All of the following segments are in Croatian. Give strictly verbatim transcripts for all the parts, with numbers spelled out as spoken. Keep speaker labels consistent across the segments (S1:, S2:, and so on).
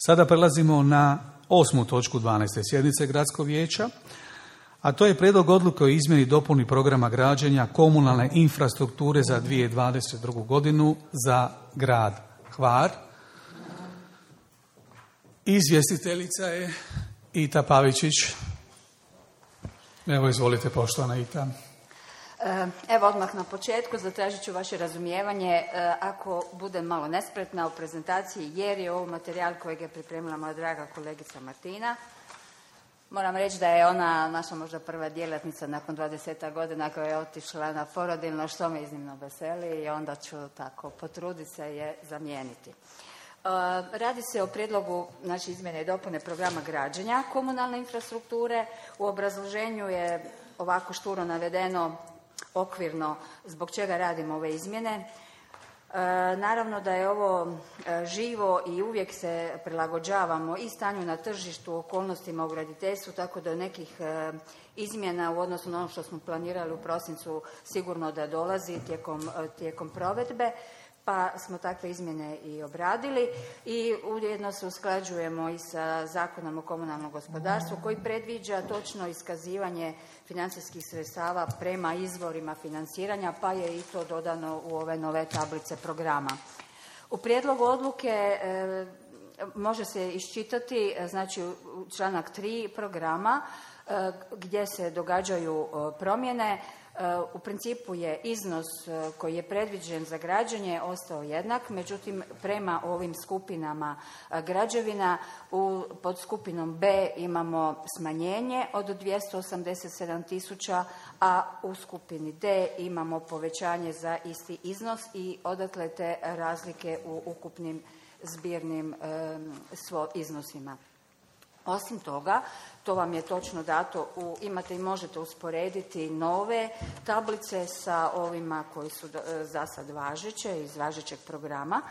S1: Sada prelazimo na osmu točku dvanaeste sjednice Gradskog vijeća, a to je prijedlog odluke o izmjeni i dopuni programa građenja komunalne infrastrukture za dvije tisuće dvadeset drugu. godinu za grad Hvar. Izvjestiteljica je Ita Pavičić. Evo, izvolite, poštovana Ita.
S2: Evo, odmah na početku zatražit ću vaše razumijevanje ako budem malo nespretna u prezentaciji, jer je ovo materijal kojeg je pripremila moja draga kolegica Martina. Moram reći da je ona naša možda prva djelatnica nakon dvadeset godina koja je otišla na porodiljno, što me iznimno veseli, i onda ću tako potruditi se je zamijeniti. Radi se o prijedlogu, znači, izmjene i dopune programa građenja komunalne infrastrukture. U obrazloženju je ovako šturo navedeno okvirno zbog čega radimo ove izmjene. E, naravno da je ovo e, živo i uvijek se prilagođavamo i stanju na tržištu, okolnostima u graditeljstvu, tako da nekih e, izmjena u odnosu na ono što smo planirali u prosincu sigurno da dolazi tijekom, e, tijekom provedbe. Pa smo takve izmjene i obradili i ujedno se usklađujemo i sa Zakonom o komunalnom gospodarstvu koji predviđa točno iskazivanje financijskih sredstava prema izvorima financiranja, pa je i to dodano u ove nove tablice programa. U prijedlogu odluke e, može se iščitati, znači, članak tri programa e, gdje se događaju e, promjene. U principu je iznos koji je predviđen za građenje ostao jednak, međutim prema ovim skupinama građevina u pod skupinom B imamo smanjenje od dvjesto osamdeset sedam tisuća, a u skupini D imamo povećanje za isti iznos i odatle te razlike u ukupnim zbirnim svo iznosima. Osim toga, to vam je točno dato, u, imate i možete usporediti nove tablice sa ovima koji su za sad važeće, iz važećeg programa.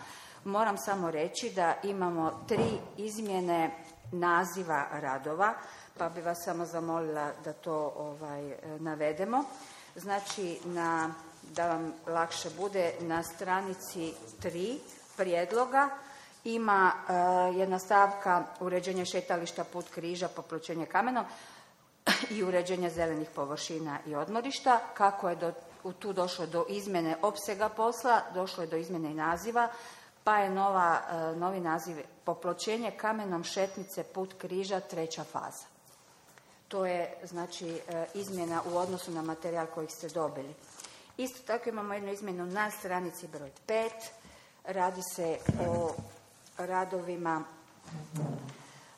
S2: Moram samo reći da imamo tri izmjene naziva radova, pa bi vas samo zamolila da to ovaj, navedemo. Znači, na, da vam lakše bude, na stranici tri prijedloga ima uh, jedna stavka uređenje šetališta, put križa, popločenje kamenom i uređenje zelenih površina i odmorišta. Kako je do, tu došlo do izmjene opsega posla, došlo je do izmjene i naziva, pa je nova, uh, novi naziv popločenje kamenom šetnice, put križa, treća faza. To je, znači, uh, izmjena u odnosu na materijal kojeg ste dobili. Isto tako imamo jednu izmjenu na stranici broj pet. Radi se o radovima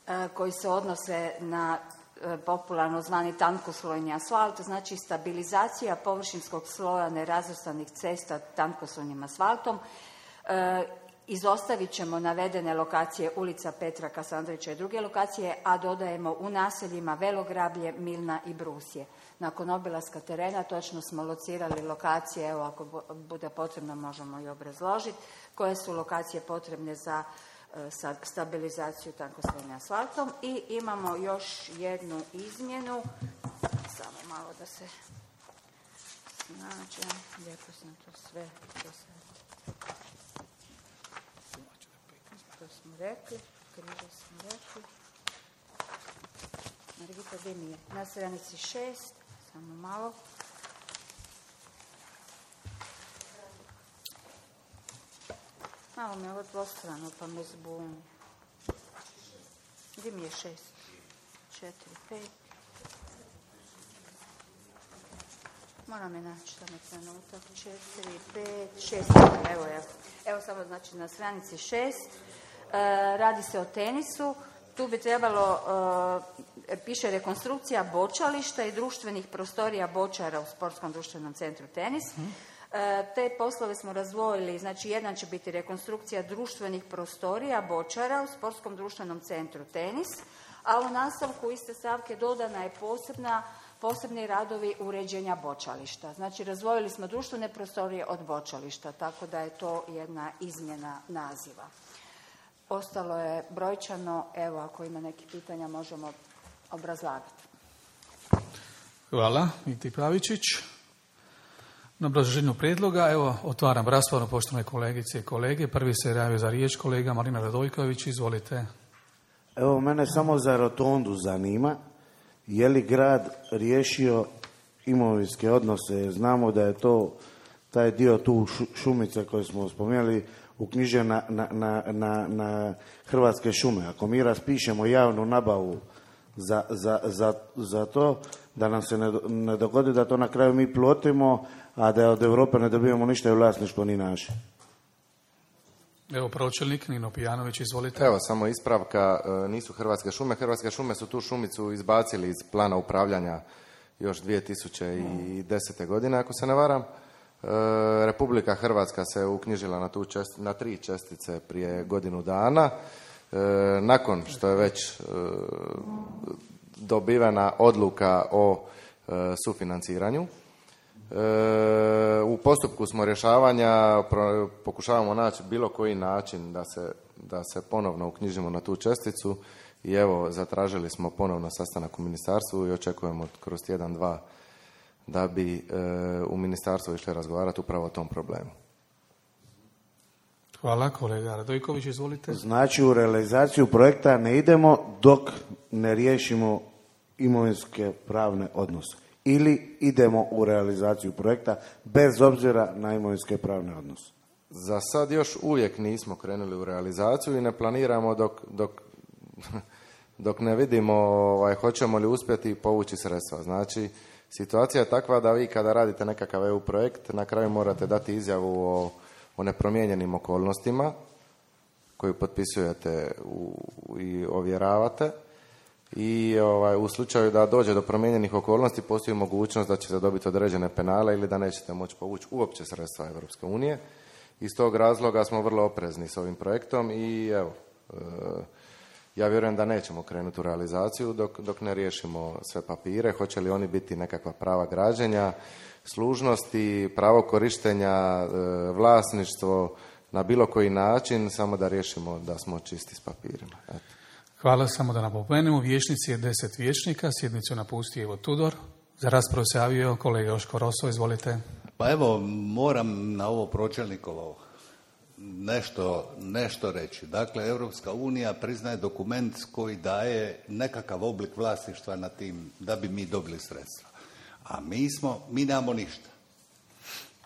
S2: e, koji se odnose na e, popularno zvani tankoslojni asfalt, znači stabilizacija površinskog sloja nerazvrstanih cesta tankoslojnim asfaltom. E, izostavit ćemo navedene lokacije ulica Petra Kasandrića i druge lokacije, a dodajemo u naseljima Velograblje, Milna i Brusje. Nakon obilaska terena točno smo locirali lokacije, evo ako bude potrebno možemo i obrazložiti, koje su lokacije potrebne za sa stabilizaciju tankoslojnim asfaltom. I imamo još jednu izmjenu, samo malo da se snađem, lijepo sam to sve to, to smo rekli, križa smo rekli. Margita, gdje mi je? Na stranici šest, samo malo. Malo mi je ovo dvostrano, pa me zbuni. Gdje mi je šest? Četiri, pet. Moram je naći samo trenutak. Četiri, pet, šest. Evo, evo. Evo samo, znači, na stranici šest. E, radi se o tenisu. Tu bi trebalo, e, piše rekonstrukcija bočališta i društvenih prostorija bočara u Sportskom društvenom centru Tenis. Hmm. Te poslove smo razdvojili, znači jedan će biti rekonstrukcija društvenih prostorija bočara u Sportskom društvenom centru Tenis, a u nastavku iste stavke dodana je posebna, posebni radovi uređenja bočališta. Znači razdvojili smo društvene prostorije od bočališta, tako da je to jedna izmjena naziva. Ostalo je brojčano, evo ako ima nekih pitanja možemo obrazlagati.
S1: Hvala, Iti Pavičić. Na obrazloženju prijedloga, evo, otvaram raspravu, poštovane kolegice i kolege. Prvi se javio za riječ kolega Marina Radojković, izvolite.
S3: Evo, mene samo za rotondu zanima, je li grad riješio imovinske odnose? Znamo da je to, taj dio tu šumice koje smo spomenuli, uknjižen na, na, na, na Hrvatske šume. Ako mi raspišemo javnu nabavu za, za, za, za to, da nam se ne, ne dogodi da to na kraju mi plotimo, a da od Europe ne dobijemo ništa i vlasništvo ni naše.
S1: Evo pročelnik Nino Pijanović, izvolite.
S4: Evo, samo ispravka, nisu Hrvatske šume. Hrvatske šume su tu šumicu izbacili iz plana upravljanja još dvije tisuće desete. godine, ako se ne varam. Republika Hrvatska se uknjižila na, tu čest, na tri čestice prije godinu dana. Nakon što je već dobivena odluka o sufinanciranju. U postupku smo rješavanja, pokušavamo naći bilo koji način da se, da se ponovno uknjižimo na tu česticu i evo, zatražili smo ponovno sastanak u ministarstvu i očekujemo kroz tjedan, dva da bi e, u ministarstvu išli razgovarati upravo o tom problemu.
S1: Hvala, kolega Radojković, izvolite.
S3: Znači, u realizaciju projekta ne idemo dok ne riješimo imovinske pravne odnose. Ili idemo u realizaciju projekta bez obzira na imovinske pravne odnose?
S4: Za sad još uvijek nismo krenuli u realizaciju i ne planiramo dok, dok, dok ne vidimo ovaj, hoćemo li uspjeti povući sredstva. Znači, situacija je takva da vi kada radite nekakav E U projekt, na kraju morate dati izjavu o, o nepromijenjenim okolnostima koju potpisujete u, i ovjeravate. I ovaj, u slučaju da dođe do promijenjenih okolnosti postoji mogućnost da ćete dobiti određene penale ili da nećete moći povući uopće sredstva Europske unije. Iz tog razloga smo vrlo oprezni s ovim projektom i evo, e, ja vjerujem da nećemo krenuti u realizaciju dok, dok ne riješimo sve papire. Hoće li oni biti nekakva prava građenja, služnosti, pravo korištenja, e, vlasništvo na bilo koji način, samo da riješimo da smo čisti s papirima. Eto.
S1: Hvala, samo da napomenemo, vijećnici je deset vijećnika, sjednicu napusti Ivo Tudor. Za raspravu se javio kolega Joško Roso, izvolite.
S5: Pa evo, moram na ovo pročelnikovo nešto, nešto reći. Dakle, Europska unija priznaje dokument koji daje nekakav oblik vlasništva na tim, da bi mi dobili sredstva. A mi smo, mi nemamo ništa.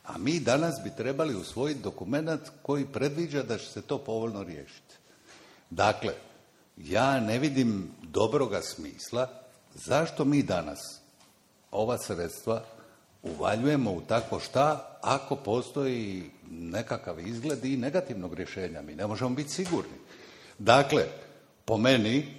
S5: A mi danas bi trebali usvojiti dokument koji predviđa da će se to povoljno riješiti. Dakle, ja ne vidim dobroga smisla zašto mi danas ova sredstva uvaljujemo u tako šta ako postoji nekakav izgled i negativnog rješenja. Mi ne možemo biti sigurni. Dakle, po meni,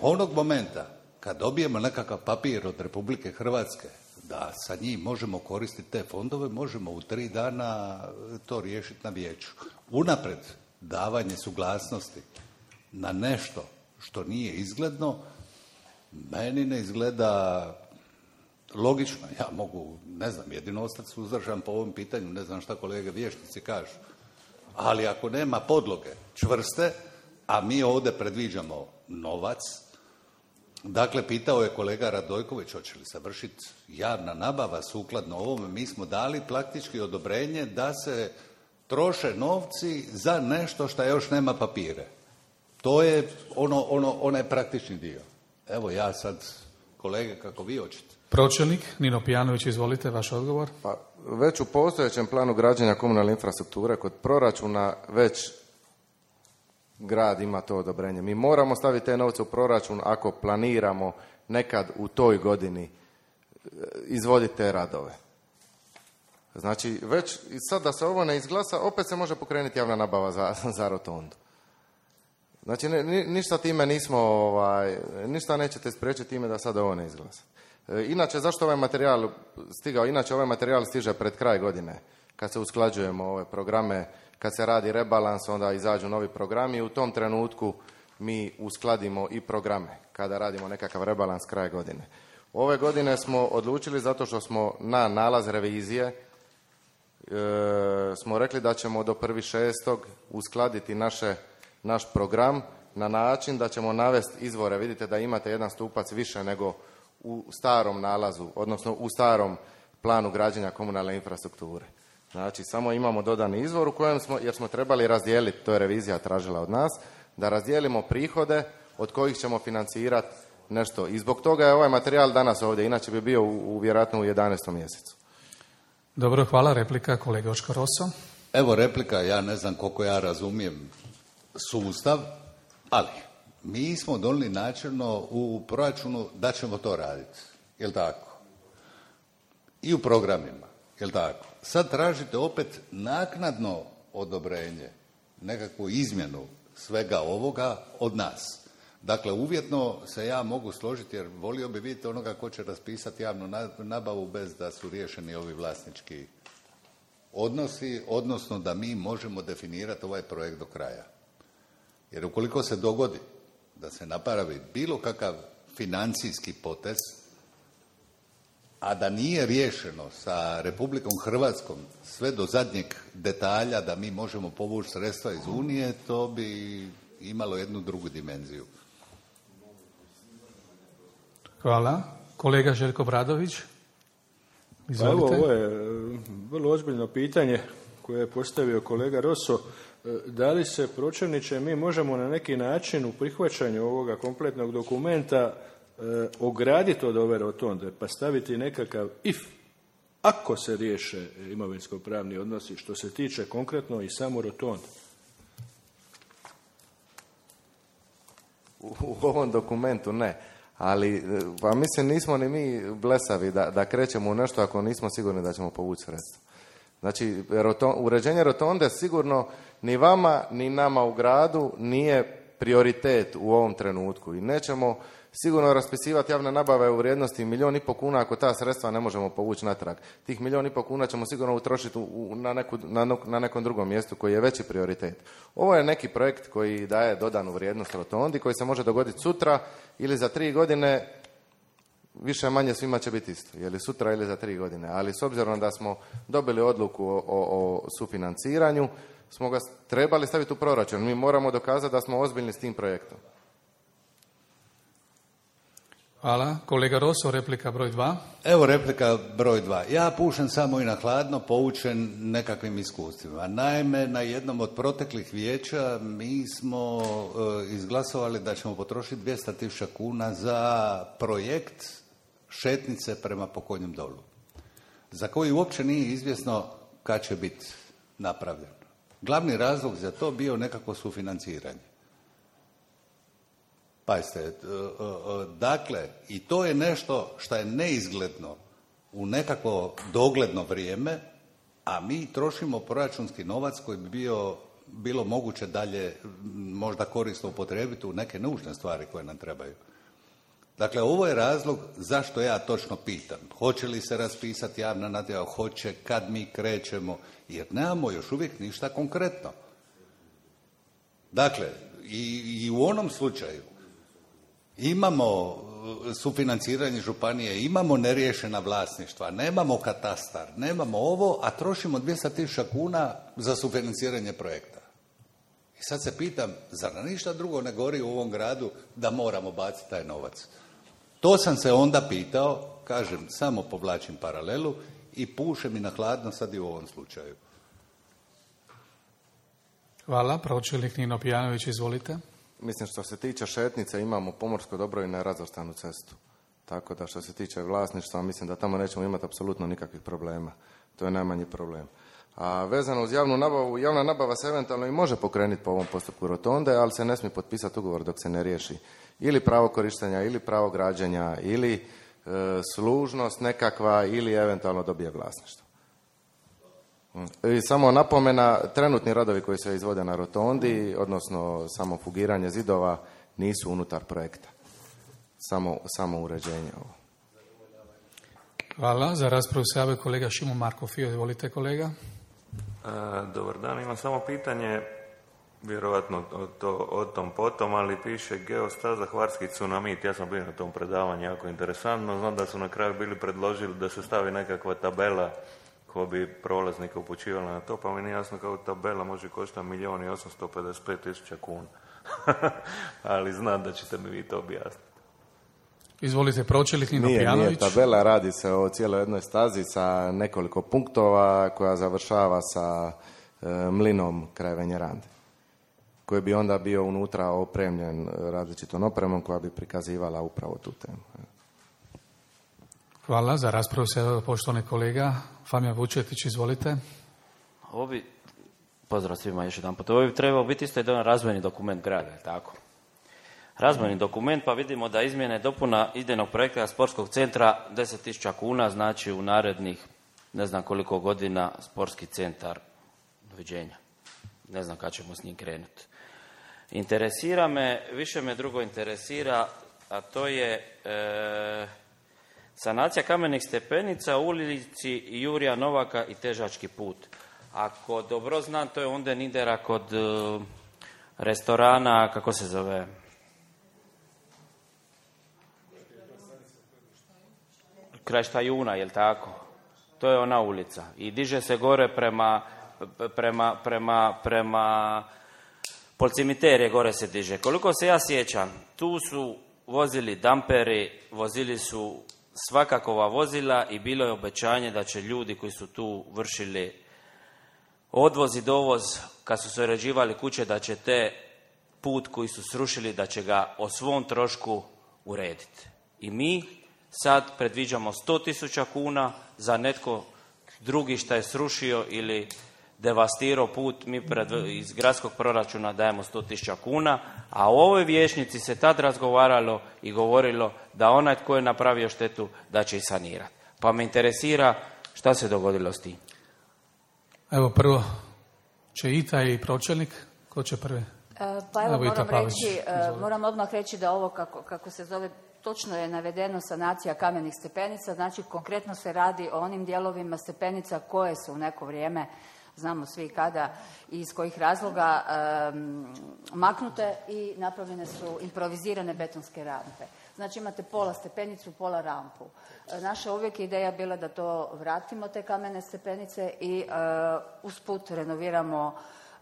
S5: onog momenta kad dobijemo nekakav papir od Republike Hrvatske da sa njim možemo koristiti te fondove, možemo u tri dana to riješiti na vijeću. Unapred davanje suglasnosti na nešto što nije izgledno, meni ne izgleda logično. Ja mogu, ne znam, jedino ostati suzdržan po ovom pitanju, ne znam šta kolege vijećnici kažu. Ali ako nema podloge čvrste, a mi ovdje predviđamo novac, dakle, pitao je kolega Radojković, hoće li se vršiti javna nabava sukladno ovome, mi smo dali praktički odobrenje da se troše novci za nešto što još nema papire. To je ono, ono, onaj praktični dio. Evo ja sad, kolege, kako vi hoćete.
S1: Pročelnik Nino Pijanović, izvolite, vaš odgovor.
S4: Pa, već u postojećem planu građenja komunalne infrastrukture kod proračuna već grad ima to odobrenje. Mi moramo staviti te novce u proračun ako planiramo nekad u toj godini izvoditi te radove. Znači, već sad da se ovo ne izglasa, opet se može pokrenuti javna nabava za, za rotondu. Znači, ni, ništa time nismo, ovaj, ništa nećete spriječiti time da sad ovo ne izglasa. E, inače, zašto ovaj materijal stigao? Inače, ovaj materijal stiže pred kraj godine, kad se usklađujemo ove programe, kad se radi rebalans, onda izađu novi programi i u tom trenutku mi uskladimo i programe, kada radimo nekakav rebalans kraj godine. Ove godine smo odlučili, zato što smo na nalaz revizije, e, smo rekli da ćemo do prvog šestog uskladiti naše naš program na način da ćemo navesti izvore. Vidite da imate jedan stupac više nego u starom nalazu, odnosno u starom planu građenja komunalne infrastrukture. Znači, samo imamo dodani izvor u kojem smo, jer smo trebali razdijeliti, to je revizija tražila od nas, da razdijelimo prihode od kojih ćemo financirati nešto. I zbog toga je ovaj materijal danas ovdje, inače bi bio u, u vjerojatno u jedanaestom mjesecu.
S1: Dobro, hvala. Replika, kolega Očko Roso.
S5: Evo replika, ja ne znam koliko ja razumijem sustav, ali mi smo donijeli načelno u proračunu da ćemo to raditi, jel tako? I u programima, jel tako? Sad tražite opet naknadno odobrenje, nekakvu izmjenu svega ovoga od nas. Dakle, uvjetno se ja mogu složiti jer volio bi vidjeti onoga ko će raspisati javnu nabavu bez da su riješeni ovi vlasnički odnosi, odnosno da mi možemo definirati ovaj projekt do kraja. Jer ukoliko se dogodi da se napravi bilo kakav financijski potez, a da nije riješeno sa Republikom Hrvatskom sve do zadnjeg detalja da mi možemo povući sredstva iz Unije, to bi imalo jednu drugu dimenziju.
S1: Hvala. Kolega Željko Bradović.
S6: Izvolite. Pa evo, ovo je vrlo ozbiljno pitanje koje je postavio kolega Roso. Da li se, pročelniče, mi možemo na neki način u prihvaćanju ovoga kompletnog dokumenta e, ograditi od ove rotonde, pa staviti nekakav if, ako se riješe imovinsko-pravni odnosi, što se tiče konkretno i samo rotonde?
S4: U, u ovom dokumentu ne. Ali, pa mislim, nismo ni mi blesavi da, da krećemo u nešto ako nismo sigurni da ćemo povući sredstva. Znači, roton, uređenje rotonde sigurno ni vama, ni nama u gradu nije prioritet u ovom trenutku. I nećemo sigurno raspisivati javne nabave u vrijednosti milijun i pol kuna ako ta sredstva ne možemo povući natrag. Tih milijun i pol kuna ćemo sigurno utrošiti u, na, neku, na, na nekom drugom mjestu koji je veći prioritet. Ovo je neki projekt koji daje dodanu vrijednost rotondi, koji se može dogoditi sutra ili za tri godine, više manje svima će biti isto, je li sutra ili za tri godine. Ali s obzirom da smo dobili odluku o, o, o sufinanciranju, smo ga trebali staviti u proračun. Mi moramo dokazati da smo ozbiljni s tim projektom.
S1: Hvala. Kolega Roso, replika broj dva.
S5: Evo replika broj dva. Ja pušem samo i na hladno, poučen nekakvim iskustvima. Naime, na jednom od proteklih vijeća mi smo e, izglasovali da ćemo potrošiti dvjesto tisuća kuna za projekt šetnice prema Pokonjem dolu, za koji uopće nije izvjesno kad će biti napravljen. Glavni razlog za to bio nekako sufinanciranje. Pazite, dakle, i to je nešto što je neizgledno u nekako dogledno vrijeme, a mi trošimo proračunski novac koji bi bio, bilo moguće dalje možda korisno upotrijebiti u neke nužne stvari koje nam trebaju. Dakle, ovo je razlog zašto ja točno pitam. Hoće li se raspisati javna natječaj, hoće, kad mi krećemo, jer nemamo još uvijek ništa konkretno. Dakle, i, i u onom slučaju imamo sufinanciranje županije, imamo neriješena vlasništva, nemamo katastar, nemamo ovo, a trošimo dvjesto tisuća kuna za sufinanciranje projekta. I sad se pitam, zar na ništa drugo ne gori u ovom gradu da moramo baciti taj novac? To sam se onda pitao, kažem, samo povlačim paralelu i pušem i na hladno sad i u ovom slučaju.
S1: Hvala. Pročelnik Nino Pijanović, izvolite.
S4: Mislim, što se tiče šetnice, imamo pomorsko dobro i nerazvrstanu cestu. Tako da što se tiče vlasništva, mislim da tamo nećemo imati apsolutno nikakvih problema. To je najmanji problem. A vezano uz javnu nabavu, javna nabava se eventualno i može pokrenuti po ovom postupku rotonde, ali se ne smije potpisati ugovor dok se ne riješi ili pravo korištenja, ili pravo građenja, ili e, služnost nekakva, ili eventualno dobije vlasništvo. I samo napomena, trenutni radovi koji se izvode na rotondi, odnosno samo fugiranje zidova, nisu unutar projekta. Samo, samo uređenje ovo.
S1: Hvala. Za raspravu se javio kolega Šimo Marko Fio. Izvolite, kolega.
S7: A, dobar dan. Imam samo pitanje, vjerojatno o, to, o tom potom, ali piše geostaza Hvarski tsunamit. Ja sam bio na tom predavanju, jako interesantno. Znam da su na kraju bili predložili da se stavi nekakva tabela ko bi prolaznika upućivala na to, pa mi nije jasno kako tabela može koštati milijun i osamsto pedeset pet tisuća kuna. Ali znam da ćete mi vi to objasniti.
S1: Izvolite, pročelnik Nino
S4: nije,
S1: Pijanović.
S4: Nije tabela, radi se o cijeloj jednoj stazi sa nekoliko punktova koja završava sa e, mlinom kraj Venjerande. koji bi onda bio unutra opremljen različitom opremom koja bi prikazivala upravo tu temu.
S1: Hvala. Za raspravu se poštovani kolega Famijan Vučetić, izvolite.
S8: Ovo bi, pozdrav svima još jedan put, ovo bi trebao biti isto jedan razvojni dokument grada, je tako? Razvojni dokument, pa vidimo da izmjene dopuna idejnog projekta sportskog centra deset tisuća kuna, znači u narednih ne znam koliko godina sportski centar, doviđenja. Ne znam kad ćemo s njim krenuti. Interesira me, više me drugo interesira, a to je e, sanacija kamenih stepenica u ulici Jurija Novaka i Težački put. Ako dobro znam, to je onda Nidera kod e, restorana, kako se zove? Kraj Štajuna, jel tako? To je ona ulica. I diže se gore prema, prema, prema, prema Polcimiterije gore se diže. Koliko se ja sjećam, tu su vozili damperi, vozili su svakakova vozila i bilo je obećanje da će ljudi koji su tu vršili odvoz i dovoz, kad su se uređivali kuće, da će te put koji su srušili, da će ga o svom trošku urediti. I mi sad predviđamo sto tisuća kuna za netko drugi što je srušio ili devastirao put, mi pred, iz gradskog proračuna dajemo sto tisuća kuna, a u ovoj vijećnici se tad razgovaralo i govorilo da onaj tko je napravio štetu da će i sanirati. Pa me interesira šta se dogodilo s tim.
S1: Evo prvo će Ita i pročelnik, ko će prvi?
S2: Pa evo,
S1: evo
S2: moram, reći, moram odmah reći da ovo kako, kako se zove, točno je navedeno sanacija kamenih stepenica, znači konkretno se radi o onim dijelovima stepenica koje su u neko vrijeme, znamo svi kada i iz kojih razloga, um, maknute i napravljene su improvizirane betonske rampe. Znači imate pola stepenicu, pola rampu. Naša uvijek ideja bila da to vratimo, te kamene stepenice, i uh, usput renoviramo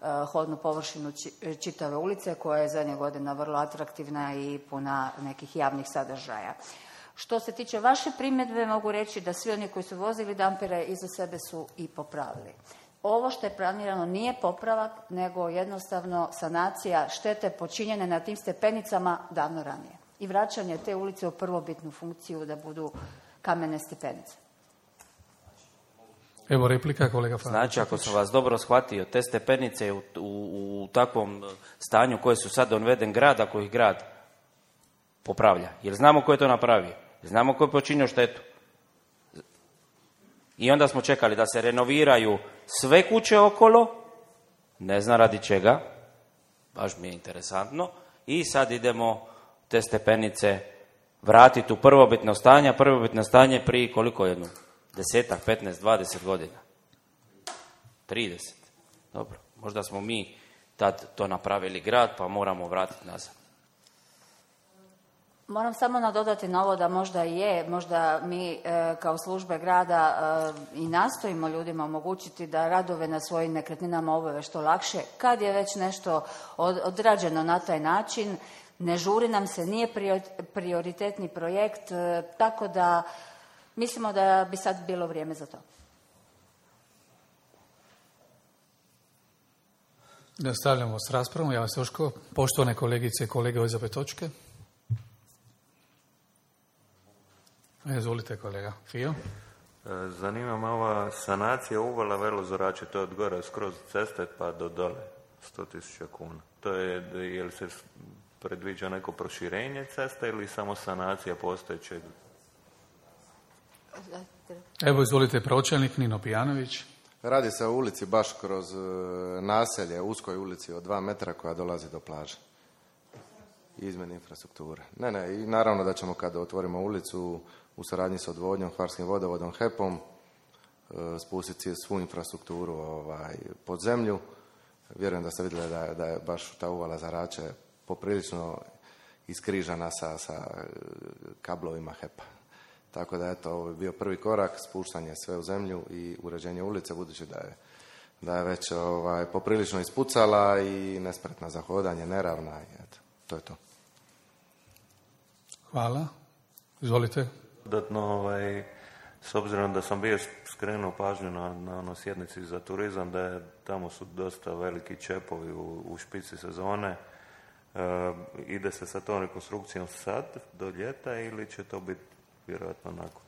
S2: uh, hodnu površinu či, čitave ulice koja je zadnje godina vrlo atraktivna i puna nekih javnih sadržaja. Što se tiče vaše primjedbe, mogu reći da svi oni koji su vozili dampere iza sebe su i popravili. Ovo što je planirano nije popravak, nego jednostavno sanacija štete počinjene na tim stepenicama davno ranije. I vraćanje te ulice u prvobitnu funkciju da budu kamene stepenice.
S1: Evo replika, kolega Famijan.
S8: Znači, ako sam vas dobro shvatio, te stepenice u, u, u takvom stanju koje su sad donveden grad, ako ih grad popravlja. Jer znamo ko je to napravio. Znamo ko je počinio štetu. I onda smo čekali da se renoviraju sve kuće okolo, ne znam radi čega, baš mi je interesantno, i sad idemo te stepenice vratiti u prvobitno stanje, a prvobitno stanje prije koliko jedno? Desetak, petnaest, dvadeset godina. trideset. Dobro, možda smo mi tad to napravili grad, pa moramo vratiti nazad.
S2: Moram samo nadodati na ovo da možda je, možda mi e, kao službe grada e, i nastojimo ljudima omogućiti da radove na svojim nekretninama obave što lakše. Kad je već nešto od, odrađeno na taj način, ne žuri nam se, nije prioritetni projekt, e, tako da mislimo da bi sad bilo vrijeme za to.
S1: Nastavljamo s raspravom. Ja vas Joško, poštovane kolegice i kolege, ove za pet točke. Izvolite kolega. Fio?
S7: Zanima me ova sanacija uvala Velozorače, to je od gore skroz ceste pa do dole, sto tisuća kuna. To je, je li se predviđa neko proširenje ceste ili samo sanacija postojećeg?
S1: Evo izvolite pročelnik Nino Pijanović.
S4: Radi se o ulici baš kroz naselje, uskoj ulici od dva metra koja dolazi do plaže. Izmjene infrastrukture. Ne, ne, i naravno da ćemo kada otvorimo ulicu u saradnji s odvodnjom, Hvarskim vodovodom, H E P-om, spustiti svu infrastrukturu ovaj, pod zemlju. Vjerujem da ste vidjeli da je, da je baš ta uvala za Rače poprilično iskrižana sa, sa kablovima H E P-a. Tako da eto, ovo je bio prvi korak, spuštanje sve u zemlju i uređenje ulice, budući da je, da je već ovaj, poprilično ispucala i nespretna za hodanje, neravna i eto, to je to.
S1: Hvala. Izvolite.
S7: Dodatno, ovaj, s obzirom da sam bio skrenuo pažnju na, na ono sjednici za turizam, da je, tamo su dosta veliki čepovi u, u špici sezone. E, ide se sa tom rekonstrukcijom sad, do ljeta, ili će to biti vjerojatno nakon?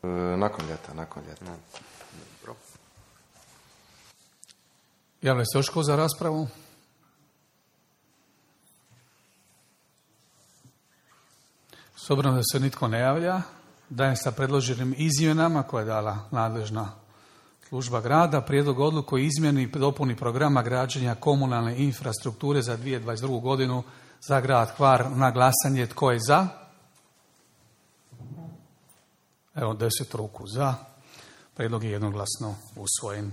S4: E, nakon ljeta, nakon ljeta.
S7: No. Dobro.
S1: Javlja se još ko za raspravu? S obzirom da se nitko ne javlja, dajem sa predloženim izmjenama koje je dala nadležna služba grada prijedlog odluke o izmjeni i dopuni programa građenja komunalne infrastrukture za dvije tisuće dvadeset drugu. godinu za grad Hvar na glasanje. Tko je za? Evo, deset ruku za. Prijedlog je jednoglasno usvojen.